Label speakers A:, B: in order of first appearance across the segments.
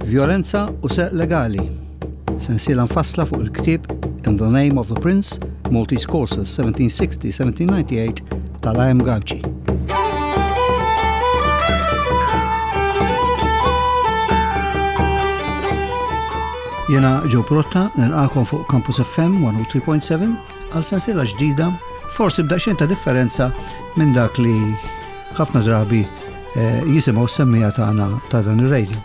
A: Vjolenza u Serq Legali, sensiela mfassla fuq il-ktieb In the Name of the Prince, Maltese Courses 1760-1798 tal-A.M. Gauci. Jena Joe Protta, nilqakom fuq Campus FM 103.7 għal sensiela ġdida, forsi b'daqsxejn ta' differenza minn dak li ħafna drabi eh, jisimgħu semmija tagħna ta' dan ir-radio.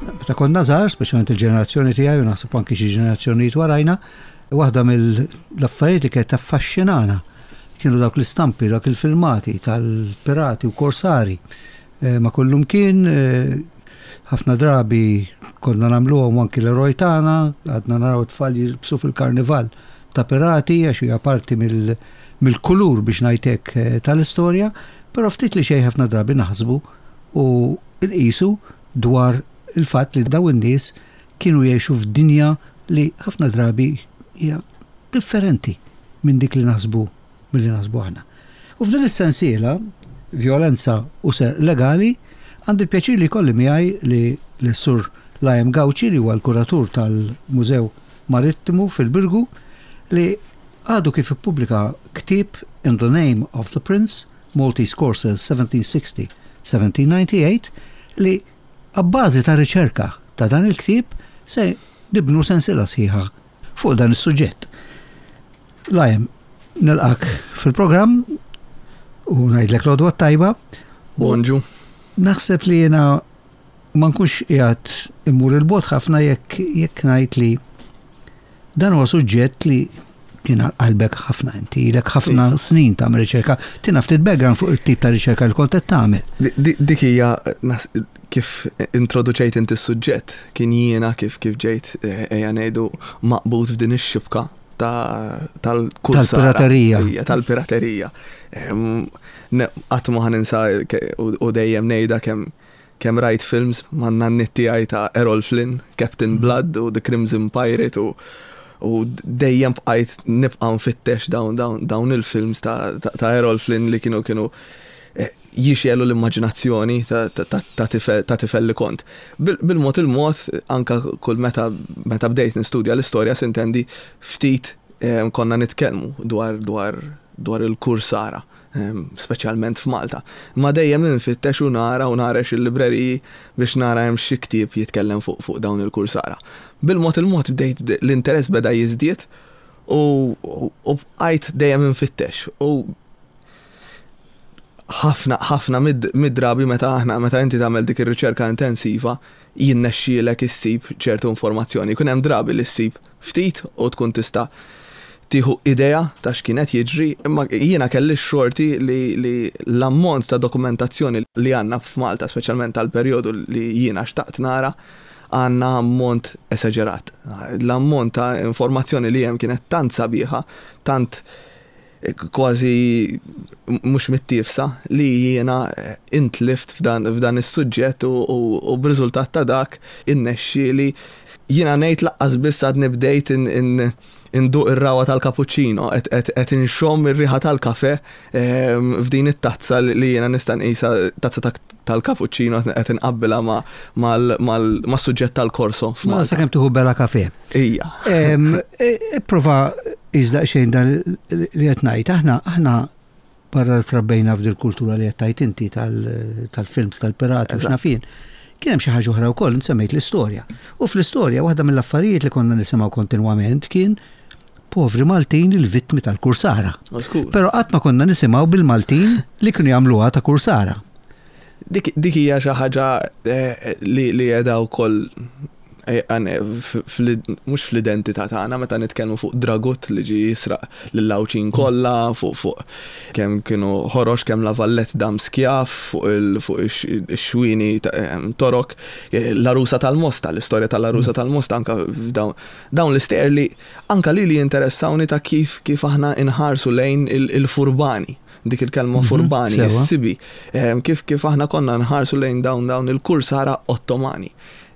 A: Meta konna żgħar, speċjalment il-ġenerazzjoni tiegħi u naħseb anki xi ġenerazzjonijiet warajna, waħda mill-affarijiet li kienet taffaxxinana kienu dawk l-istampi, dawk il-filmati tal-pirati u korsari eh, ma kullum kien eh, ħafna drabi konna nagħmluhom anki l-eroj tagħna, għadna naraw tfal jilbsu fil-karnival ta' pirati għax hija parti mill-kulur biex ngħidlek eh, tal-istorja, però ftit li xejn ħafna drabi naħsbu u nqisu dwar il-fatt li dawn in-nies kienu jgħixu f'dinja li ħafna drabi hija differenti minn dik li naħsbu milli naħsbu aħna. U f'din is-sensiela, Vjolenza u Serq Legali, għandi l-pjaċir li jkolli miegħi li lis-Sur Liam Gauci li huwa l-kuratur tal-Mużew Marittimu fil-Birgu li għadu kif ippubblika ktieb In the Name of the Prince, Maltese Courses 1760-1798 li abbażi ta' riċerka ta' dan il-ktieb se nibnu sensiela sħiħa fuq dan is-suġġett. Liam, nilqak fil-programm u ngħidlek l-għodwa tajba.
B: Bonġu.
A: Naħseb li jiena ma nkunx qiegħed immur il-bot ħafna jekk jekk ngħid li dan huwa suġġett li kien qalbek ħafna inti, ilek ħafna snin tagħmel riċerka. Tina ftit background fuq it-tip ta' riċerka li kont qed tagħmel.
B: Dik hija kif introduċejt inti s-suġġett, kien jiena kif kif ġejt eh, ejja ngħidu maqbud f'din ix-xibka
A: tal-kursara. Tal-piraterija.
B: Tal-piraterija. Qatt ma ħaninsa u dejjem ngħidha kemm kemm rajt films man-nanniet tiegħi ta' Errol Flynn, Captain Blood u The Crimson Pirate u u dejjem bqajt nibqa' nfittex dawn dawn dawn il-films ta' ta' Errol Flynn li kienu kienu eh, jixelu l-immaġinazzjoni ta' tifel ta' tifel li kont. Bil-mod il-mod anka kull meta meta bdejt nistudja l-istorja sintendi ftit eh, konna nitkellmu dwar dwar dwar il-kursara speċjalment f'Malta. Imma dejjem infittex u nara u nagħrex il-libreriji biex nara hemm xi ktieb jitkellem fuq fuq dawn il-kursara. Bil-mod il-mod bdejt l-interess beda jiżdied u u bqajt dejjem infittex u ħafna ħafna mid-drabi meta aħna meta inti tagħmel dik ir-riċerka intensiva jinnexxielek issib ċertu informazzjoni. Jkun hemm drabi li ssib ftit u tkun tista' tieħu idea ta' x'kien qed jiġri, imma jiena kelli x-xorti li, li l-ammont ta' dokumentazzjoni li għandna f'Malta, speċjalment tal-perjodu li jiena xtaqt nara, għandna ammont esaġerat. L-ammont ta' informazzjoni li hemm kienet tant sabiħa, tant kważi mhux mittiefsa li jiena intlift f'dan is-suġġett u b'riżultat ta' dak innexxieli jiena ngħid laqqas biss għadni bdejt induq ir-ragħwa tal-cappuccino qed inxomm ir-riħa tal-kafè f'din it-tazza li jiena nista' nqisha tazza tal-cappuccino qed inqabbilha mas-suġġett tal-corso
A: f'Malta. Sakemm tieħu bela kafè.
B: Ija.
A: Ipprova qis daqsxejn dan li qed ngħid. Aħna aħna barra li trabbejna f'dil kultura li qed tgħid inti tal-films tal-pirati u x'naf jien. Kien hemm xi ħaġa oħra wkoll, int semmejt l-istorja. U fl-istorja waħda mill-affarijiet li konna nisimgħu kontinwament kien povri Maltin il-vittmi tal-kursara. Però qatt ma konna nisimgħu bil-Maltin li kienu jagħmluha ta' kursara.
B: Dik hija xi ħaġa eh, li qiegħda wkoll eh, mhux fl-identità tagħna meta nitkellmu fuq Dragut li ġie jisraq lill-Għawdxin kollha, fuq fuq kemm kienu ħorox kemm La Valette dam skjav, fuq ix-xwieni eh, Torok, l-għarusa tal-Mosta, l-istorja tal-għarusa tal-Mosta anke dawn l-istejjer li anke lili jinteressawni ta' kif kif aħna inħarsu lejn il-furbani dik il-kelma mhm, furbani, is-sibi, ehm, kif kif aħna konna nħarsu lejn dawn dawn il-kursara Ottomani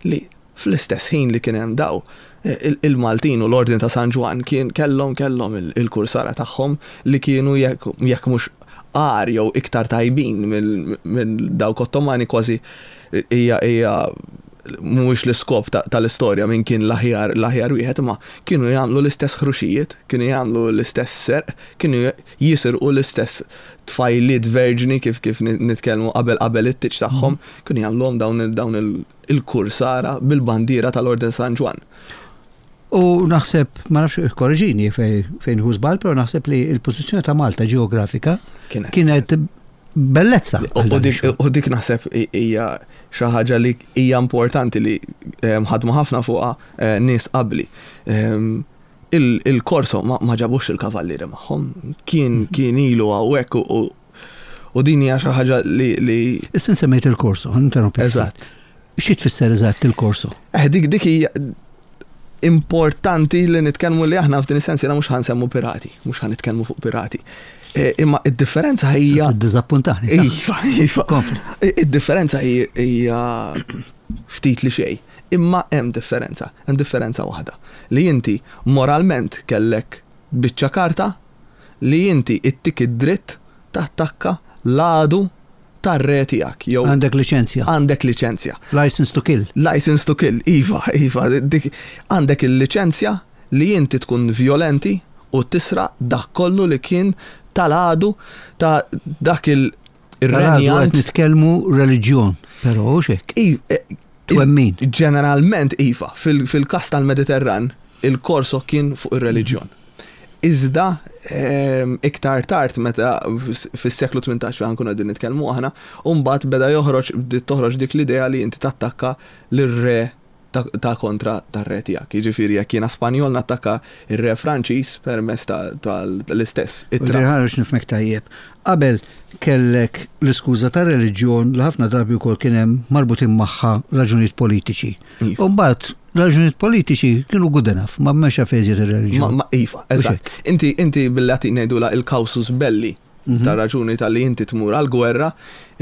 B: li fl-istess ħin li kien hemm daw eh, il-Maltin u l-Ordni ta' San Ġwann kien kellhom kellhom il-kursara tagħhom li kienu jekk mhux għar jew iktar tajbin minn dawk Ottomani kważi hija hija mhuwiex l-iskop tal-istorja min kien l-aħjar l-aħjar wieħed imma kienu jagħmlu l-istess ħruxijiet, kienu jagħmlu l-istess serq, kienu jisirqu l-istess tfajliet verġni kif kif nitkellmu qabel qabel it-tieġ tagħhom, kienu jagħmluhom dawn dawn il-kursara bil-bandiera tal-Orden San Ġwann.
A: U naħseb, ma nafx korreġini fejn hu żball, però naħseb li l-pożizzjoni ta' Malta ġeografika kienet bellezza.
B: U dik naħseb hija xi ħaġa li hija importanti li ehm, ħadmu ħafna fuqha eh, nies qabli. Ehm, il-korso ma ġabux il-kavallieri magħhom, kien mhm. kien ilu hawnhekk u din hija xi ħaġa li.
A: Issa semmejt il-korso, interrompi.
B: Eżatt.
A: Xi tfisser eżatt il-korso?
B: Eh, dik dik hija importanti li nitkellmu li aħna f'din is-sens jiena mhux ħansemmu pirati, mhux ħa nitkellmu fuq pirati. E, imma id-differenza hija.
A: Dizappuntani.
B: Iva, iva. Id-differenza hija ftit li xejn. Imma hemm differenza, hemm differenza waħda. Li inti moralment kellek biċċa karta li inti ittik id-dritt tattakka l-għadu tar-re tiegħek
A: jew. Għandek liċenzja.
B: Għandek liċenzja.
A: License to kill.
B: License to kill, iva, iva. Dik, għandek il-liċenzja li inti tkun vjolenti u tisraq dak kollu li kien tal-għadu ta' dak il-
A: Ir-renjant. Qed nitkellmu reliġjon, però hux hekk. Twemmin.
B: Ġeneralment iva, fil-każ tal-Mediterran, il-Corso kien fuq ir-reliġjon. Iżda iktar tard meta fis-seklu 18 fejn nkunu qegħdin nitkellmu aħna, u mbagħad beda joħroġ bdiet toħroġ dik l-idea li inti tattakka lir-re ta' kontra tar-re tiegħek. Jiġifieri jekk jiena Spanjol nattakka r-re Franċiż permezz tal-istess
A: ittra. Ħa nifhmek tajjeb. Qabel kellek l-iskuża tar-reliġjon li ħafna drabi wkoll kien hemm marbutin magħha raġunijiet politiċi. U mbagħad raġunijiet politiċi kienu good enough, ma m'hemmx għalfejn iżjed ir-reliġjon.
B: Ma iva, eżatt. Inti inti bil-Latin ngħidulha il-causus belli mhm. ta' raġuni tal-li inti tmur għal-gwerra,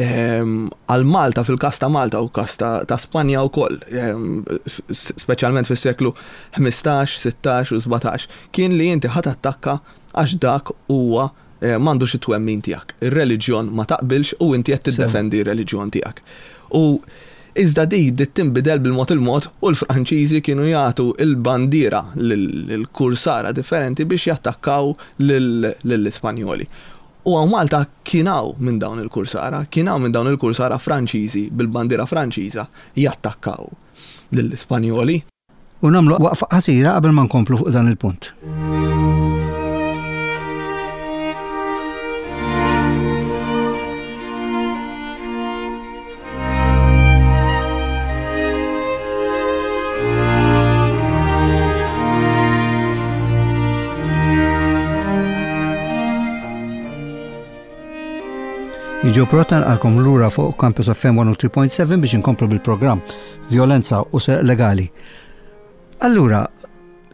B: ehm, għal Malta fil-kas ta' Malta u kas ta' Spanja u koll, ehm, specialment fis-seklu 15, 16 u 17, kien li inti ħat attakka għax dak huwa m'għandux it-twemmin tiegħek. Ir-reliġjon ma taqbilx u inti qed tiddefendi r-reliġjon tiegħek. U iżda di bdiet tinbidel bil-mod il-mod u l-Franċiżi kienu jagħtu l-bandiera lill-kursara differenti biex jattakkaw lill-Ispanjoli. U hawn Malta kien hawn minn dawn il-kursara, kien hawn minn dawn il-kursara Franċiżi bil-bandiera Franċiża jattakkaw lill-Ispanjoli.
A: U nagħmlu waqfa qasira qabel ma nkomplu fuq dan il-punt. Jiġu prota nqalkom lura fuq Campus FM 103.7 biex inkomplu bil-programm Violenza u Serq Legali. Allura,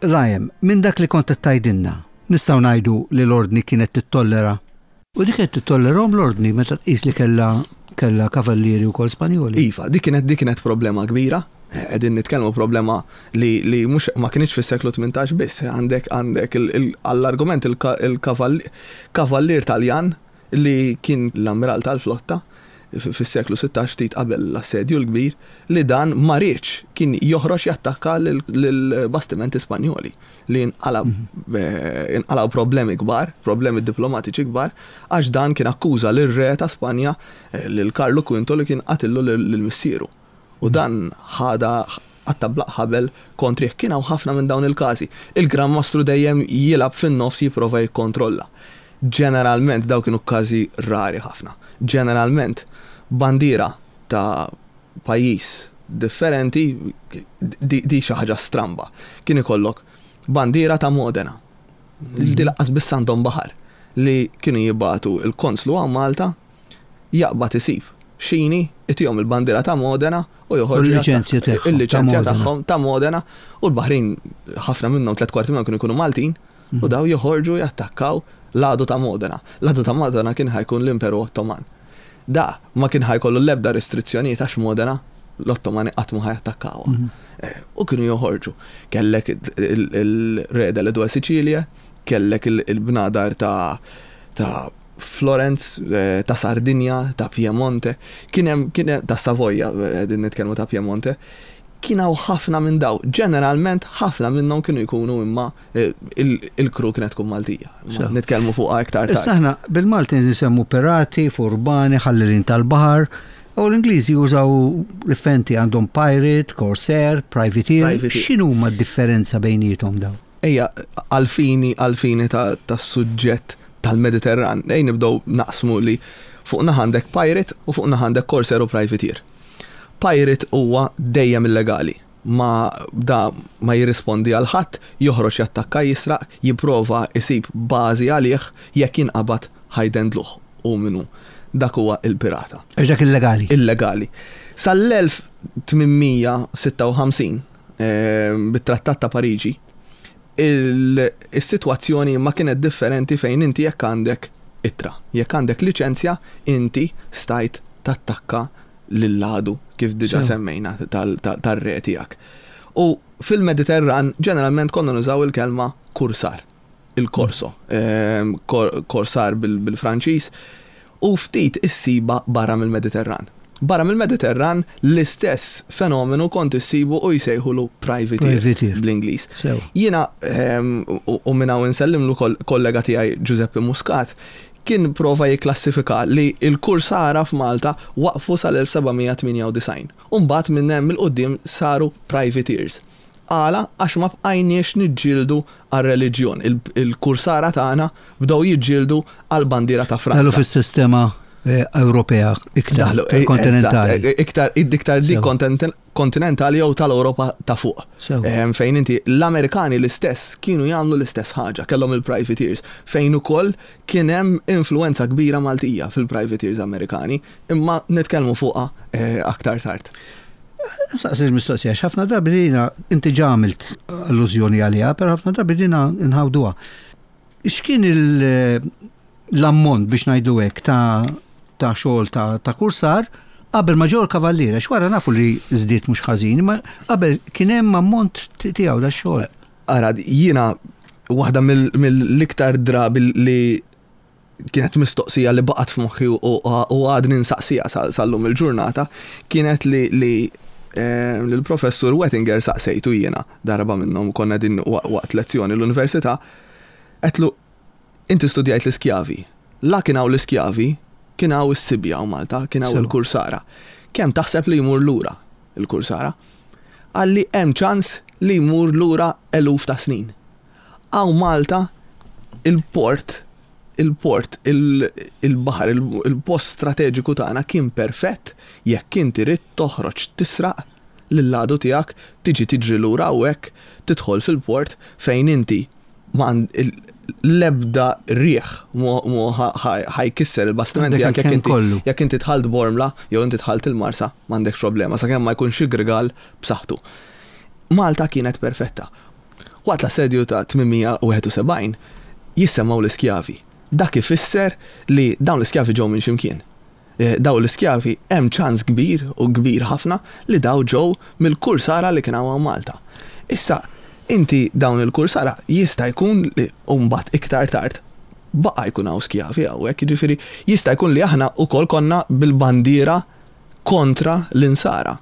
A: Ryan, minn dak li kont qed tgħidilna, nistgħu ngħidu li l-Ordni kienet tittollera? U dik qed titollerhom l-Ordni meta tqis li kellha kellha kavallieri wkoll Spanjoli.
B: Iva, dik kienet dik kienet problema kbira. Qegħdin nitkellmu problema li li mhux ma kinitx fis-seklu 18 biss, għandek għandek għall-argument il-kavallier Taljan li kien l-ammiral tal-flotta fis-seklu 16 ftit qabel l-Assedju l-Kbir, li dan ma riedx kien joħroġ jattakka lill-bastimenti Spanjoli li nqalgħu problemi kbar, problemi diplomatiċi kbar, għax dan kien akkuża lir-re ta' Spanja, lil Karlu Quinto li kien qatillu lil missieru. U dan ħadha qatta' bla ħabel kontrih. Kien hawn ħafna minn dawn il-każi. Il-Gran Mastru dejjem jilgħab fin-nofs jipprova jikkontrolla. Ġeneralment dawn kienu każi rari ħafna. Ġeneralment bandiera ta' pajjiż differenti, di xi ħaġa stramba. Kien ikollok bandiera ta' Modena. Di laqqas biss għandhom baħar li kienu jibagħtu l-konslu hawn Malta jaqbad isib xini, itihom il-bandiera ta' Modena u joħorġu.
A: Il-liċenzja tagħhom.
B: Il-liċenzja tagħhom ta' Modena u l-baħrin ħafna minnhom tlet kwarti minnhom kienu jkunu Maltin u mhm. daw joħorġu jattakkaw l-għadu ta' Modena. L-għadu ta' Modena kien ħajkun l-Imperu Ottoman. Da ma kien ħajkollu l-ebda restrizzjonijiet għax Modena l-Ottomani qatt ma ħajattakkawha. Mhm. Eh, u kienu joħorġu. Kellek il-Re delle Due Sicilie, kellek il-bnadar ta' ta' Florence, eh, ta' Sardinja, ta' Piemonte, kien hemm kien hemm ta' Savoja, eh, din nitkellmu ta' Piemonte. Kien hawn ħafna minn daw. Ġeneralment ħafna minnhom kienu jkunu imma eh, il-kru kienet tkun Maltija. Nitkellmu fuqha iktar tard.
A: Issa aħna bil-Malti nisemmu pirati, furbani, ħallelin tal-baħar. U l-Ingliżi jużaw differenti għandhom pirate, corsair, privateer. X'inhuma d-differenza bejniethom dawn?
B: Ejja, għall-fini, għall-fini tas-suġġett tal-Mediterran, ejja nibdew naqsmu li fuq naħa għandek pirate u fuq naħa għandek corsair u privateer. Pirate huwa dejjem illegali. Ma da ma jirrispondi għal ħadd, joħroġ jattakka jisraq, jipprova jsib bażi għalih, jekk jinqabad ħa jdendluh hu min hu. Dak huwa il-pirata.
A: Għax dak illegali.
B: Illegali. Sal-1856, bit-Trattat ta' Pariġi, is-sitwazzjoni ma kienet differenti fejn inti jekk għandek ittra, jekk għandek liċenzja, inti stajt tattakka lill-għadu kif diġà semmejna tar-re tiegħek. U fil-Mediterran ġeneralment konna nużaw il-kelma kursar. il-corso, corsar bil-Franċiż, u ftit issibha barra mill-Mediterran. Barra mill-Mediterran l-istess fenomenu kont issibu u jsejħulu privateer bl-Ingliż. Jiena, u minn hawn insellimlu kollega tiegħi Giuseppe Muscat, kien prova jikklassifika li l-kursara f'Malta waqfu sal-1798 u mbagħad minn hemm 'il quddiem saru privateers. Għala? Għax ma bqajniex niġġieldu għar-reliġjon. Il-kursara tagħna bdew jiġġieldu għall-bandiera ta' Franza.
A: Daħlu fis-sistema Ewropea iktar kontinentali.
B: Iktar iktar dik kontinentali jew tal-Ewropa ta' fuq. Fejn inti l-Amerikani l-istess kienu jagħmlu l-istess ħaġa, kellhom il-privateers, fejn ukoll kien hemm influwenza kbira Maltija fil-privateers Amerikani, imma nitkellmu fuqha aktar tard.
A: Saqsi l-mistoqsija, ħafna drabi dina, inti ġa għamilt allużjoni għaliha, però ħafna drabi dina nħawduha. X'kien l-ammont biex ngħidu hekk ta' ta' xogħol ta', ta kursar qabel ma ġew il-kavalliera, x'wara nafu li żdied mhux ħażin, ma qabel kien hemm ammont tiegħu da xogħol.
B: Ara, jiena waħda mill-iktar drabi li kienet mistoqsija li baqgħet f'moħħi u għadni nsaqsiha sal-lum il-ġurnata, kienet li li eh, l-professur Wettinger saqsejtu jiena darba minnhom konna din waqt lezzjoni l-università, għedtlu inti studjajt l-iskjavi. La kien hawn l-iskjavi, kien hawn is-sibja u Malta, kien hawn il-kursara. Kemm taħseb li jmur lura il-kursara? Qalli hemm ċans li jmur lura eluf ta' snin. Hawn Malta il-port, il-port, il-baħar, il-post strateġiku tagħna kien perfett jekk inti ridt toħroġ tisraq lill-għadu tiegħek, tiġi tiġri lura hawnhekk, tidħol fil-port fejn inti ma l-ebda riħ mhu ħa jkisser il-bastiment tiegħek jekk inti jekk inti dħalt Bormla jew inti dħalt il-Marsa m'għandekx problema sakemm ma jkunx xi grigal b'saħħtu. Malta kienet perfetta. Waqt l-assedju ta' 871 jissemmgħu l-iskjavi. Dak ifisser li dawn l-iskjavi ġew minn xi mkien. Dawn l-iskjavi hemm ċans kbir u kbir ħafna li dawn ġew mill-kursara li kien hawn Malta. Issa, inti dawn il-kursara jista' jkun li u mbagħad iktar tard baqa' jkun hawn skjavi hawnhekk, jiġifieri jista' jkun li aħna wkoll konna bil-bandiera kontra l-insara.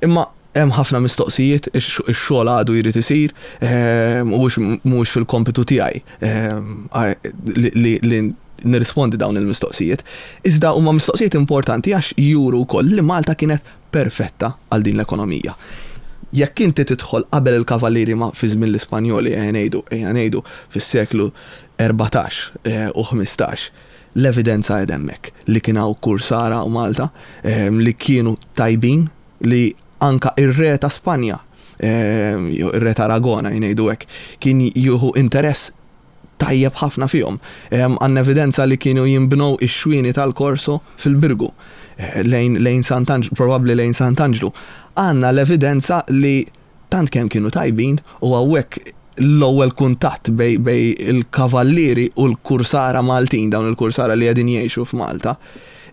B: Imma hemm ħafna mistoqsijiet, ix-xogħol għadu jrid isir, mhuwiex mhuwiex fil-kompitu tiegħi li nirrispondi dawn il-mistoqsijiet. Iżda huma mistoqsijiet importanti għax juru wkoll li Malta kienet perfetta għal din l-ekonomija. Jekk inti tidħol qabel il-Kavallieri ma fi żmien l-Ispanjoli, ejja ngħidu, ejja ngħidu fis-seklu 14 u 15, L-evidenza qiegħda hemmhekk li kien hawn kursara hawn Malta li kienu tajbin li anka ir-re ta' Spanja, jew ir-re ta' Aragona jngħidu hekk, kien jieħu interess tajjeb ħafna fihom. Għandna evidenza li kienu jinbnew ix-xwieni tal-Corso fil-Birgu, lejn lejn Sant'Anġlu, probabbli lejn Sant'Anġlu. Għandna l-evidenza li Tant kemm kienu tajbin u hawnhekk l-ewwel kuntatt bejn il-kavallieri u l-kursara Maltin, dawn il-kursara li qegħdin jgħixu f'Malta,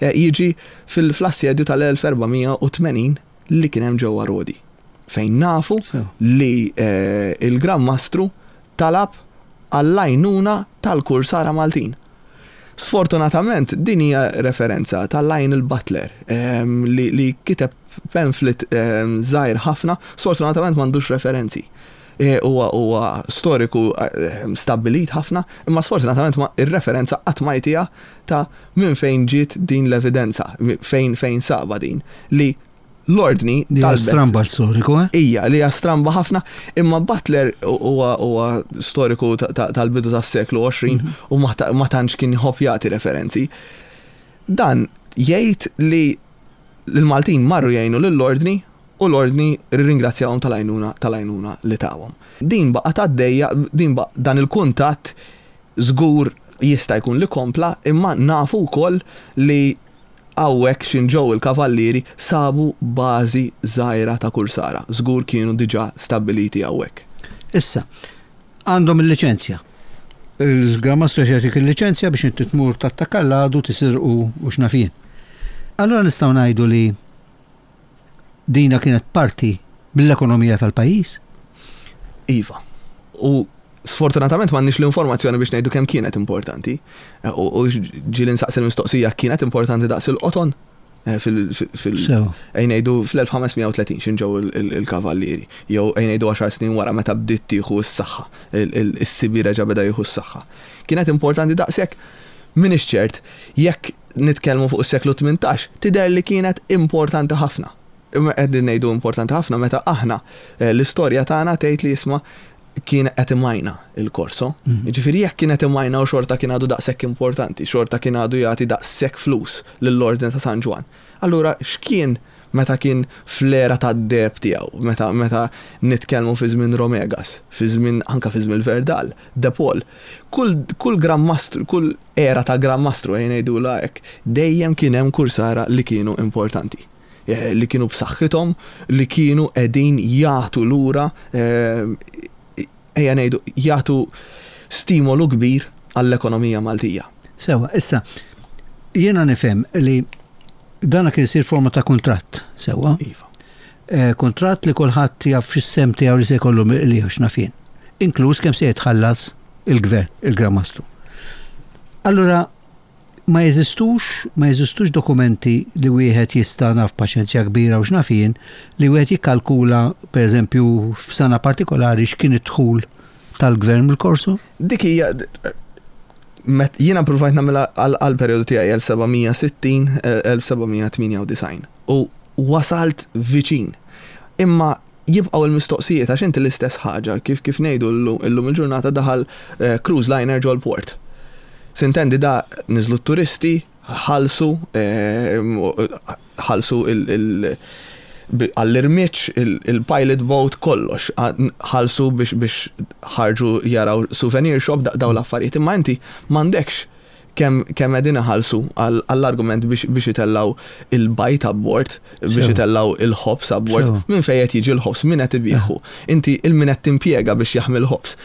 B: jiġi fl-assedju tal-1480 li kien hemm ġewwa Rodi, fejn nafu li l-Gran Mastru talab għall-għajnuna tal-kursara Maltin. Sfortunatament din hija referenza ta' Lionel Butler li, li kiteb pamphlet żgħir ħafna, sfortunatament m'għandux referenzi. E, huwa huwa storiku stabbilit ħafna, imma sfortunatament ma ir-referenza qatt ma jtiha ta' minn fejn ġiet din l-evidenza, fejn fejn saba din li l-ordni
A: Li hija stramba l-storiku, eh?
B: Ija, li hija stramba ħafna, imma Butler huwa storiku tal-bidu tas-seklu 20 mhm. u ma tantx kien jħobb jagħti referenzi. Dan jgħid li l-Maltin marru jgħinu lill-ordni u l-ordni rringrazzjahom tal-għajnuna tal-għajnuna li tawhom. Din baqgħet għaddejja, din dan il-kuntatt żgur jista' jkun li kompla, imma nafu wkoll li Hawnhekk x'in ġew il-Kavallieri sabu bażi żgħira ta' kursara, żgur kienu diġà stabbiliti hawnhekk.
A: Issa, għandhom il-liċenzja. Il-Gran Mastru qed jagħtik il-liċenzja biex inti tmur tattakka l-għadu, tisirqu u x'naf jien. Allura nistgħu ngħidu li dina kienet parti mill-ekonomija tal-pajjiż?
B: Iva. U sfortunatament m'għandniex l-informazzjoni biex ngħidu kemm kienet importanti. Eh, u ġieli nsaqsi l-mistoqsija kienet importanti daqs il-qoton eh, fil ngħidu fl-1530 xin ġew il-kavallieri jew ngħidu 10 snin wara meta bdiet tieħu s-saħħa is-sibi reġa' beda jieħu s-saħħa. Kienet importanti daqshekk M'iniex ċert, jekk nitkellmu fuq is-seklu 18, tidher li kienet importanti ħafna. Imma qegħdin ngħidu importanti ħafna meta aħna eh, l-istorja tagħna tgħid li jisma' kien qed imajna il-korso. Mhm. Jiġifieri jekk kien qed imajna u xorta kien għadu daqshekk importanti, xorta kien għadu jagħti daqshekk flus lill-Ordni ta' San Ġwann. Allura x'kien meta kien fl-era tad-deheb tiegħu, meta meta nitkellmu fi żmien Romegas, fi żmien anke fi żmien Verdal, De Paul. Kull kull Gran Mastru, kull era ta' Gran Mastru ejja ngħidulha hekk, dejjem kien hemm kursara li kienu importanti. Eh, li kienu b'saħħithom, li kienu qegħdin jagħtu lura eh, ejja ngħidu jagħtu stimolu kbir għall-ekonomija Maltija.
A: Sewa, issa, jiena nifhem li dana kien isir forma ta' kuntratt, sewa?
B: Iva.
A: Eh, kuntratt li kulħadd jaf x'isem tiegħu li se jkollu li x'naf jien. Inkluż kemm se jitħallas il-gvern, il-Gran Mastru. Allura, ma jeżistux, ma jeżistux dokumenti li wieħed jista' naf paċenzja kbira u x'naf jien, li wieħed jikkalkula, per eżempju, f'sena partikolari x'kien id-dħul tal-gvern mill-korso?
B: Dik hija jiena provajt nagħmilha għall-perjodu tiegħi 1760, 1798 u wasalt viċin. Imma jibqgħu l-mistoqsijiet għax inti l-istess ħaġa kif kif ngħidu llum il-ġurnata daħal eh, cruise liner ġol-port. Sintendi da niżlu t-turisti, ħalsu eh, ħalsu il għall-irmiċ, il-pilot boat, kollox, ħalsu biex biex ħarġu jaraw souvenir shop daw l-affarijiet. Imma inti m'għandekx kemm kemm qegħdin iħallsu għall-argument biex biex itellgħu il-bajd abbord, biex itellgħu il-ħobż abbord, minn fejn qed jiġi l-ħobż, min qed ibigħu. Inti il-min qed timpjega biex jaħmi l-ħobż.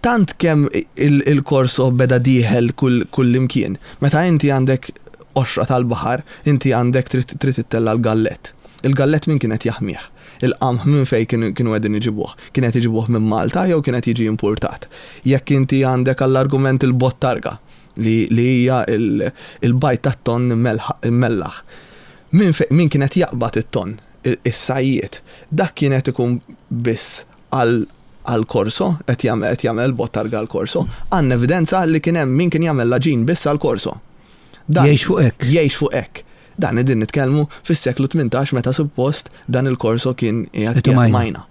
B: Tant kemm il-korso beda dieħel kull imkien. Meta inti għandek qoxra tal-baħar, inti għandek trid ittella' l-gallett. Il-gallett min kien qed jaħmih? Il-qamħ minn fejn kienu qegħdin iġibuh? Kien qed iġibuh minn Malta jew kien qed jiġi impurtat? Jekk inti għandek għall-argument il-bottarga, li li hija l-bajd tat-tonn immellaħ, minn fejn min kien qed jaqbad it-tonn? Is-sajjied. Dak kien qed ikun biss għal għall-korso, qed jagħmel qed jagħmel il-bottarga għall-korso. Għandna evidenza li kien hemm min kien jagħmel l-għaġin biss għall-korso.
A: Dan Jgħix fuq hekk.
B: Jgħix fuq hekk. Dan qegħdin nitkellmu fis-seklu 18 meta suppost dan il-korso kien qiegħed majna.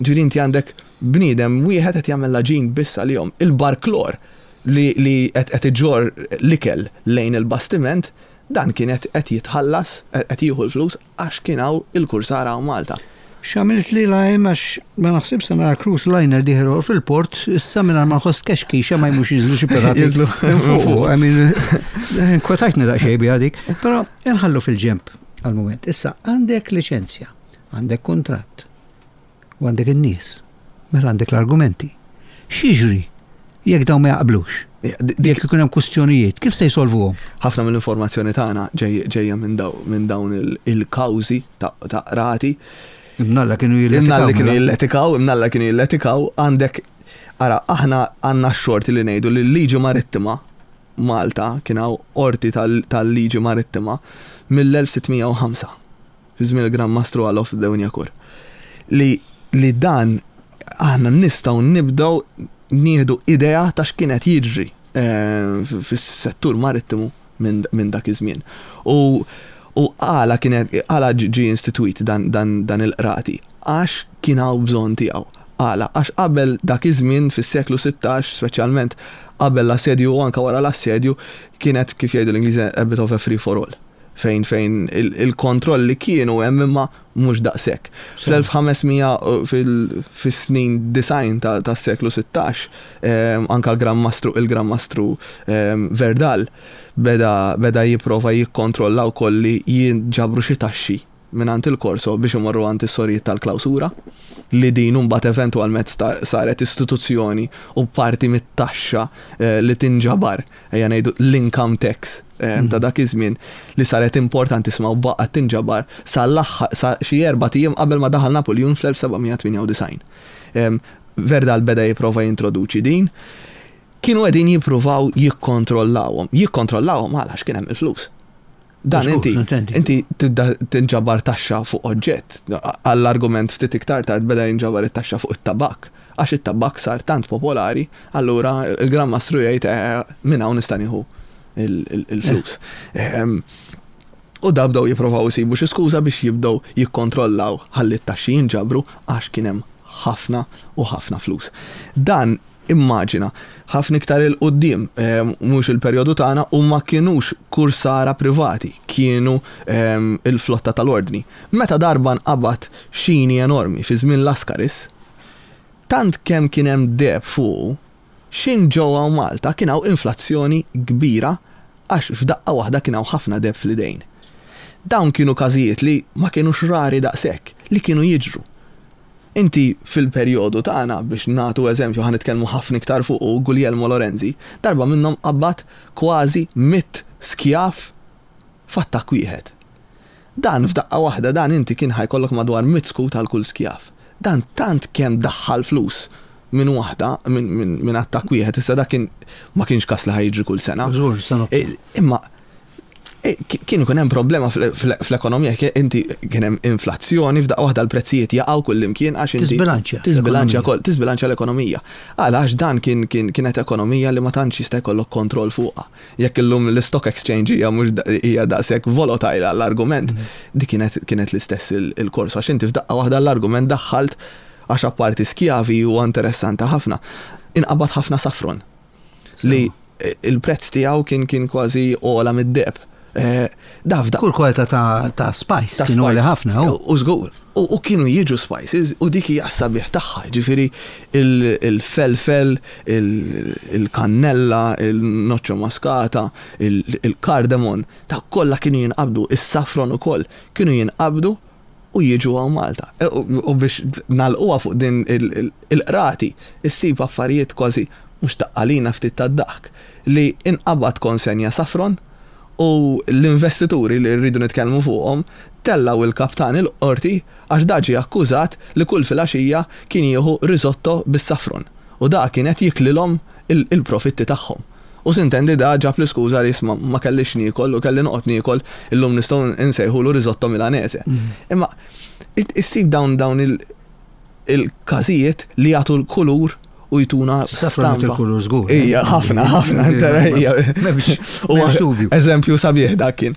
B: Ġifieri inti għandek bniedem wieħed qed jagħmel l-għaġin biss għalihom. Il-barklor li li qed iġorr l-ikel lejn il-bastiment, dan kien qed jitħallas, qed jieħu l-flus Għax kien hawn il-kursara hawn Malta.
A: X'għamiltli lajm għax ma naħsibx se nara cruise liner dieħel fil-port issa mingħajr ma nħoss tkexkixa ma jmux jiżlu xi pirati.
B: Jiżlu
A: fuq. I mean, inkwetajtni daqsxejn biha dik. Però inħallu fil-ġenb għal-mument. Issa għandek liċenzja, għandek kuntratt. U għandek in-nies. Mela għandek l-argumenti. X'jiġri jekk dawn ma jaqblux? Jekk ikun hemm kwistjonijiet, kif se jsolvuhom?
B: Ħafna mill-informazzjoni tagħna ġejja minn dawn il-kawżi ta' qrati.
A: Imnalla kienu jilletikaw.
B: Imnalla kienu mela. jilletikaw, imnalla kienu jilletikaw, għandek ara aħna għandna x-xorti li ngħidu li l-liġi marittima. Malta kien hawn qorti tal-liġi marittima mill-1605, fi żmien il-Gran Mastru Alof de Wignacourt. Li li dan aħna nistgħu nibdew nieħdu idea ta' x'kien qed jiġri fis-settur marittimu minn dak iż-żmien. U u għala kien għala ġie institwit dan dan dan il-qrati? Għax kien hawn bżonn tiegħu. Għala? Għax qabel dak iż-żmien fis-seklu 16, speċjalment qabel l-assedju u anke wara l-assedju, kienet kif jgħidu l-Ingliżi a bit of a free for all. Fejn fejn il-kontrolli kienu hemm imma mhux daqshekk. Fl-1500 fis-snin 90 tas-seklu 16, anke l-Gran Mastru il-Gran Mastru Verdal beda beda jipprova jikkontrolla wkoll li jinġabru xi taxxi mingħand il-Corso biex imorru għand is-sorijiet tal-klawsura, li din imbagħad eventwalment saret istituzzjoni u parti mit-taxxa li tinġabar, ejja ngħidu l-income tax ta' dak iż-żmien li saret importantissima u baqgħet tinġabar sal-aħħar sa xi erbat ijiem qabel ma daħal Napuljun fl-1798. Verdal beda jipprova jintroduċi din. Kienu qegħdin jippruvaw jikkontrollawhom. Jikkontrollawhom għala? Għax kien hemm il-flus. Dan inti, inti tibda tinġabar taxxa fuq oġġett. Għall-argument ftit iktar tard beda jinġabar it-taxxa fuq it-tabakk. Għax it-tabakk sar tant popolari, allura il-Gran Mastru jgħid eh, minn hawn nista' nieħu il-flus. Ehm, u da bdew jipprovaw isibu xi skuża biex jibdew jikkontrollaw ħalli t-taxxi jinġabru għax kien hemm ħafna u ħafna flus. Dan Immaġina, ħafna iktar 'il quddiem, mhux il-perjodu tagħna, u ma kinux kursara privati, kienu il-flotta tal-Ordni. Meta darba nqabad xini enormi fi żmien Lascaris, tant kemm kien hemm deheb fuqu, x'in ġew hawn Malta kien hawn inflazzjoni kbira għax f'daqqa waħda kien hawn ħafna deheb fl-idejn. Dawn kienu każijiet li ma kinux rari daqshekk, li kienu jiġru. Inti fil-perjodu tagħna, biex nagħtu eżempju, ħa nitkellmu ħafna iktar fuqu, Guglielmo Lorenzi, darba minnhom qabbad kważi mitt skjav f'attakk wieħed. Dan f'daqqa waħda dan inti kien ħa jkollok madwar mitt skut għal kull skjav. Dan tant kemm daħħal flus minn waħda, minn attakk wieħed, issa dak kien ma kienx każ li ħa jiġri kull sena.
A: Żgur, sena.
B: Imma E, kien ikun hemm problema fl-ekonomija, inti kien hemm inflazzjoni, f'daqqa waħda l-prezzijiet jaqgħu kullimkien għax
A: inti. Tisbilanċja.
B: Tisbilanċja kol, tisbilanċja l-ekonomija. Għala għax dan kien kienet ekonomija li ma tantx jista' jkollok kontroll fuqha. Jekk illum l-stock exchange hija mhux hija daqshekk volatile għall-argument, mhm. dik kienet kienet l-istess il-kors għax inti f'daqqa waħda l-argument daħħalt għax apparti skjavi huwa interessanti ħafna. Inqabad ħafna safron. Li il-prezz tiegħu kien kien kważi ogħla mid-deheb. Eh,
A: daf da. Kull kwalità ta' spice kienu għali ħafna.
B: U żgur. U kienu jiġu spices u dik hija sabiħ tagħha, ġifieri il-felfel, il-kannella, il-noċċo maskata, il-kardamon, ta' kollha kienu jinqabdu, is-safron ukoll kienu jinqabdu u jiġu hawn Malta. E, u biex nagħlquha fuq din il-qrati, issib affarijiet kważi mhux taqqalina ftit tad-daħk li inqabad konsenja safron u l-investituri li rridu nitkellmu fuqhom tellgħu il-kaptan il-qorti għax da ġie akkużat li kull filgħaxija kien jieħu risotto bis-safron u da kien qed jiklilhom il-profitti tagħhom. U sintendi da ġab l-iskuża li isma' ma kellix niekol u kelli noqgħod niekol illum nistgħu nsejħulu risotto milanese. Imma issib dawn dawn il-każijiet li jagħtu l-kulur u jtuna
A: stampa. Il-kulur żgur.
B: Ija, ħafna, ħafna, ija.
A: M'hemmx
B: Eżempju sabiħ dak kien.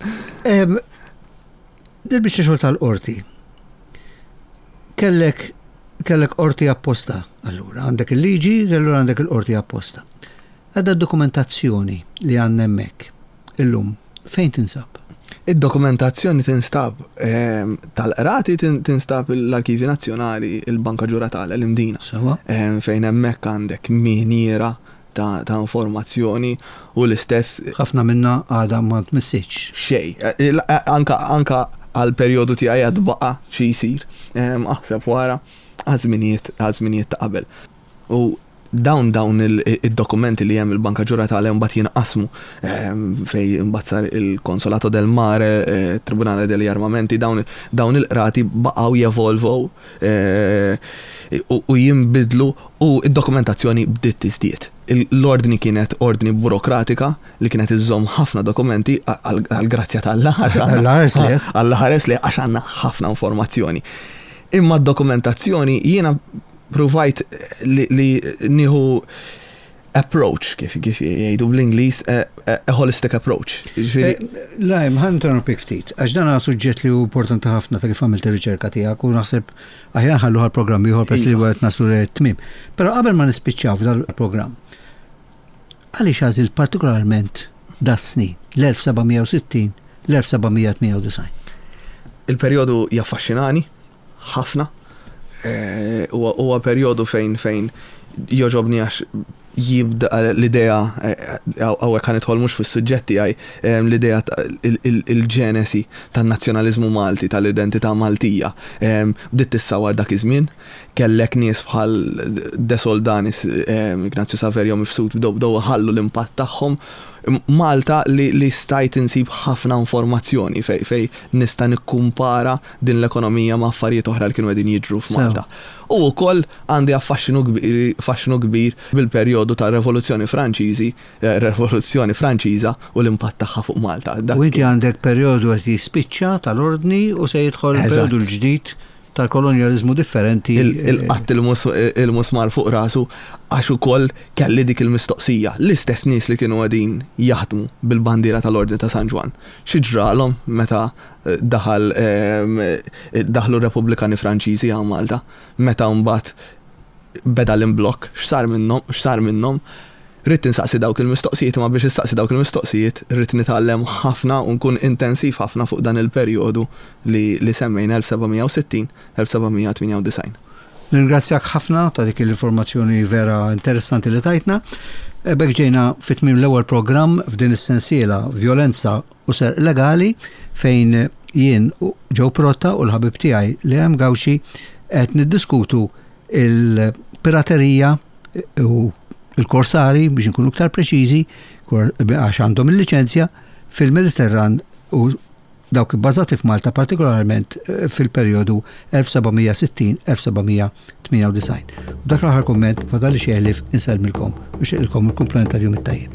A: Dil-biċċa xogħol tal-qorti. Kellek kellek qorti apposta, allura għandek il-liġi, allura għandek il-qorti apposta. Għadda d-dokumentazzjoni li għandna hemmhekk illum fejn tinsab?
B: Id-dokumentazzjoni tinstab ehm, tal-qrati tinstab l-Arkivji Nazzjonali, il-Banka Ġuratale, l-Imdina. Ehm, fejn hemmhekk għandek miniera ta', ta informazzjoni u l-istess.
A: Ħafna minna għadha ma tmissitx.
B: Xej. Eh, eh, anka anka għal perjodu tiegħi għad baqa' xi jsir. Ehm, aħseb wara għaż-żminijiet ta' qabel. U dawn dawn id-dokumenti li hemm il-Banka Ġuratale mbagħad jinqasmu ehm, fej imbagħad sar il-Konsolato del Mare, eh, Tribunale degli Armamenti, dawn dawn il-qrati baqgħu jevolvow. Eh, u jinbidlu u d-dokumentazzjoni bdiet tiżdied. L-ordni kienet ordni burokratika li kienet iżżomm ħafna dokumenti għall-grazzja t'Alla.
A: Alla ħares lejh.
B: Alla ħares lejh għax għandna ħafna informazzjoni. Imma d-dokumentazzjoni jiena pruvajt li nieħu approach, kif kif jgħidu bl-Ingliż, a holistic approach.
A: Jiġifieri eh, Lajm, ħa interrompik ftit, għax dan suġġett li hu importanti ħafna ta' kif għamilt ir-riċerka tiegħek u naħseb aħjar nħallu għal programm ieħor peress li iva. qed naslu tmiem. Però qabel ma nispiċċaw f'dal programm, għaliex għażilt partikolarment das-snin l-1760 l-1798?
B: Il-perjodu jaffaxxinani, ħafna. Huwa perjodu fejn fejn jogħġobni għax jibda l-idea, hawnhekk ħa nidħol mhux fis-suġġett tiegħi, l-idea il-ġenesi tan-nazzjonaliżmu Malti, tal-identità Maltija bdiet tissawwar dak iż-żmien. Kellek nies bħal De Soldanis, Ignazio Saverio Mifsud bdew bdew iħallu l-impatt tagħhom. Malta li stajt insib ħafna informazzjoni fejn nista' nikkumpara din l-ekonomija ma' affarijiet oħra li kienu qegħdin jiġru f'Malta. U wkoll għandi affaxxinu faxxinu kbir bil-perjodu tar-Revoluzzjoni Franċiżi, Revoluzzjoni Franċiża u l-impatt tagħha fuq Malta.
A: U inti għandek perjodu qed jispiċċa tal-Ordni u se jidħol il-perjodu l-ġdid tal-kolonjaliżmu differenti.
B: Il-qatt il-musmar fuq rasu għax ukoll kelli dik il-mistoqsija. L-istess nies li kienu qegħdin jaħdmu bil-bandiera tal-Ordni ta' San Ġwann, xi ġralhom meta daħal daħlu r-Repubblikani Franċiżi hawn Malta, meta mbagħad beda l-imblokk, x'sar minnhom, x'sar minnhom? Ridt insaqsi dawk il-mistoqsijiet imma biex issaqsi dawk il-mistoqsijiet ridt nitgħallem ħafna u nkun intensiv ħafna fuq dan il-perjodu li li semmejna 1760, 1798.
A: Nirringrazzjak ħafna ta' dik l-informazzjoni vera interessanti li tajtna. B'hekk ġejna fi tmiem l-ewwel programm f'din is-sensiela Vjolenza u serq legali fejn jien Joe Protta u l-ħabib tiegħi Liam Gauci qed niddiskutu il-piraterija u il-korsari biex nkunu iktar preċiżi għax għandhom il-liċenzja fil-Mediterran u dawk ibbażati f'Malta partikolarment eh, fil-perjodu 1760-1798. U dak l-aħħar kumment fadali xi ħlief insellmilkom u xeqilkom il-kumplament tal-jum it-tajjeb.